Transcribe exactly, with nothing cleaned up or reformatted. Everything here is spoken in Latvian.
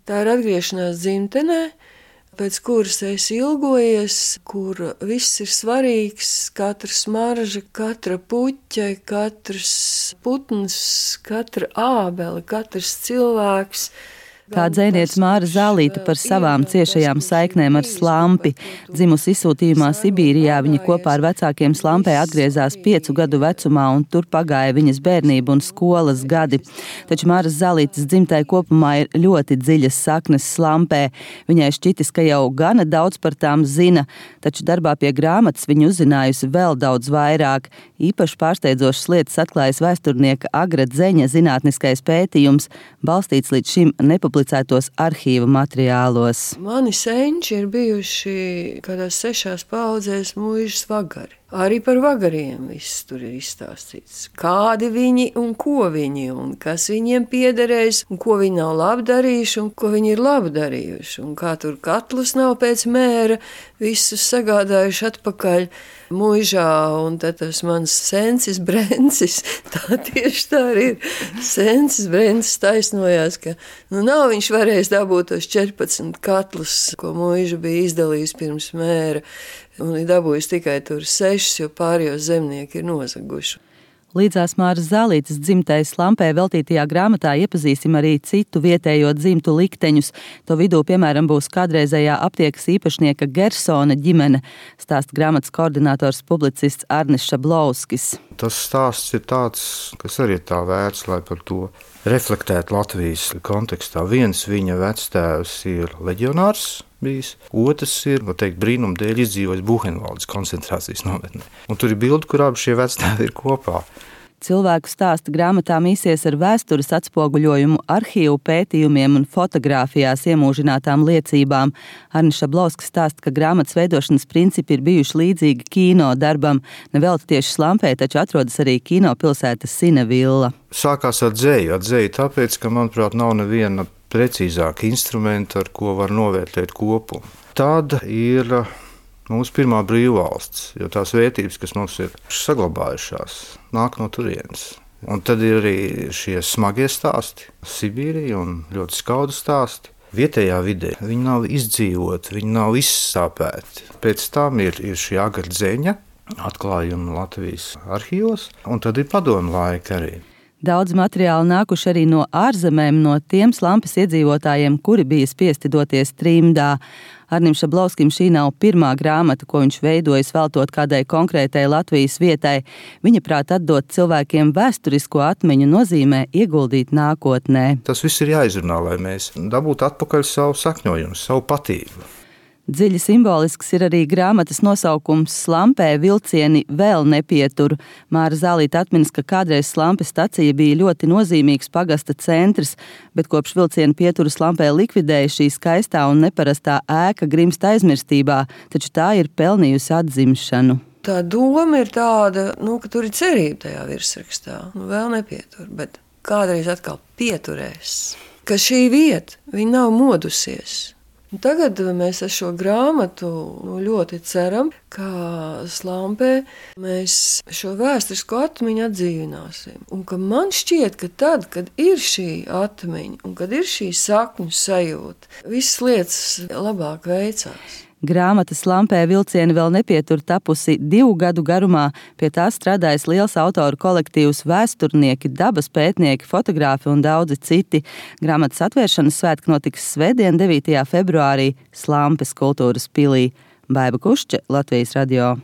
Tā ir atgriešanās dzimtenē, pēc kuras es ilgojies, kur viss ir svarīgs, katra smarža, katra puķe, katrs putns, katra ābele, katrs cilvēks. Kā dzejniece Māra Zālīte par savām ciešajām saiknēm ar Slampi. Dzimusi izsūtījumā Sibīrijā, viņa kopā ar vecākiem Slampē atgriezās piecu gadu vecumā, un tur pagāja viņas bērnība un skolas gadi. Taču Māras Zālītes dzimtai kopumā ir ļoti dziļas saknes Slampē. Viņai šķitis, ka jau gana daudz par tām zina, taču darbā pie grāmatas viņa uzzinājusi vēl daudz vairāk. Īpaši pārsteidzošas lietas atklājas vēsturnieka Agra Dzeņa zinātniskais pētījums, balstīts līdz šim nepublicētos arhīva materiālos. Mani senči ir bijuši kādās sešās paudzēs mūžas vagari. Arī par vagariem viss tur ir izstāstīts. Kādi viņi un ko viņi, un kas viņiem piederēs, un ko viņi nav labi darījuši, un ko viņi ir labi darījuši. Un kā tur katlus nav pēc mēra, visus sagādājuši atpakaļ mūžā, un tad tas mans sencis Brencis, tā tieši tā arī ir. Sencis Brencis taisnojās, ka nu nav viņš varējis dabūt tos četrpadsmit katlus, ko mūža bija izdalījis pirms mēra, un ir dabūjis tikai tur sešas, jo pārējos zemnieki ir nozaguši. Līdzās Māras Zālītes dzimtai Slampē veltītajā grāmatā iepazīsim arī citu vietējo dzimtu likteņus. To vidū, piemēram, būs kādreizējā aptiekas īpašnieka Gersona ģimene, stāsta grāmatas koordinators publicists Arnis Šablovskis. Tas stāsts ir tāds, kas arī ir tā vērts, lai par to reflektētu Latvijas kontekstā. Viens viņa vectēvs ir leģionārs bijis, otrs ir, var teikt, brīnuma dēļ izdzīvojis Buhenvaldes koncentrācijas nometnē. Un tur ir bildi, kur abi šie vectēvi ir kopā. Cilvēku stāsta grāmatā mīsies ar vēstures atspoguļojumu, arhīvu pētījumiem un fotogrāfijās iemūžinātām liecībām. Arnis Šablovskis stāsta, ka grāmatas veidošanas principi ir bijuši līdzīgi kino darbam. Nevelti tieši Slampē, taču atrodas arī kino pilsēta Sinevilla. Sākās ar dzēju, ar dzēju tāpēc, ka, manuprāt, nav neviena precīzāka instrumenta, ar ko var novērtēt kopumu. Tad ir mūsu pirmā brīvvalsts, jo tās vērtības, kas mums ir saglabājušās, nāk no turienes. Un tad ir arī šie smagie stāsti, Sibīrija un ļoti skaudu stāsti. Vietējā vidē viņi nav izdzīvoti, viņi nav izsāpēti. Pēc tam ir, ir šī Agra Dzeņa atklājumi Latvijas arhīvos, un tad ir padomu laika arī. Daudz materiālu nākuši arī no ārzemēm, no tiem Slampes iedzīvotājiem, kuri bija spiesti doties trimdā. Arnim Šablovskim šī nav pirmā grāmata, ko viņš veidojas veltot kādai konkrētai Latvijas vietai. Viņa prāt atdot cilvēkiem vēsturisko atmiņu nozīmē ieguldīt nākotnē. Tas viss ir jāizrunā, lai mēs dabūtu atpakaļ savu sakņojumu, savu patību. Dziļi simbolisks ir arī grāmatas nosaukums Slampē vilcieni vēl nepietur. Māra Zālīte atminas, ka kādreiz Slampes stacija bija ļoti nozīmīgs pagasta centrs, bet kopš vilcienu pieturu Slampē likvidēja šī skaistā un neparastā ēka grimst aizmirstībā, taču tā ir pelnījusi atzimšanu. Tā doma ir tāda, nu, ka tur ir cerība tajā virsrakstā. Nu, vēl nepietur, bet kādreiz atkal pieturēs. Ka šī vieta, viņa nav modusies. Tagad mēs ar šo grāmatu nu, ļoti ceram, ka Slampē mēs šo vēsturisko atmiņu atdzīvināsim. Un ka man šķiet, ka tad, kad ir šī atmiņa un kad ir šī sakņu sajūta, visas lietas labāk veicās. Grāmata Slampē vilcieni vēl nepietur tapusi divu gadu garumā. Pie tā strādājas liels autoru kolektīvs, vēsturnieki, dabas pētnieki, fotogrāfi un daudzi citi. Grāmatas atvēršanas svētki notiks svētdien, devītajā februārī Slampes kultūras pilī. Baiba Kušče, Latvijas radio.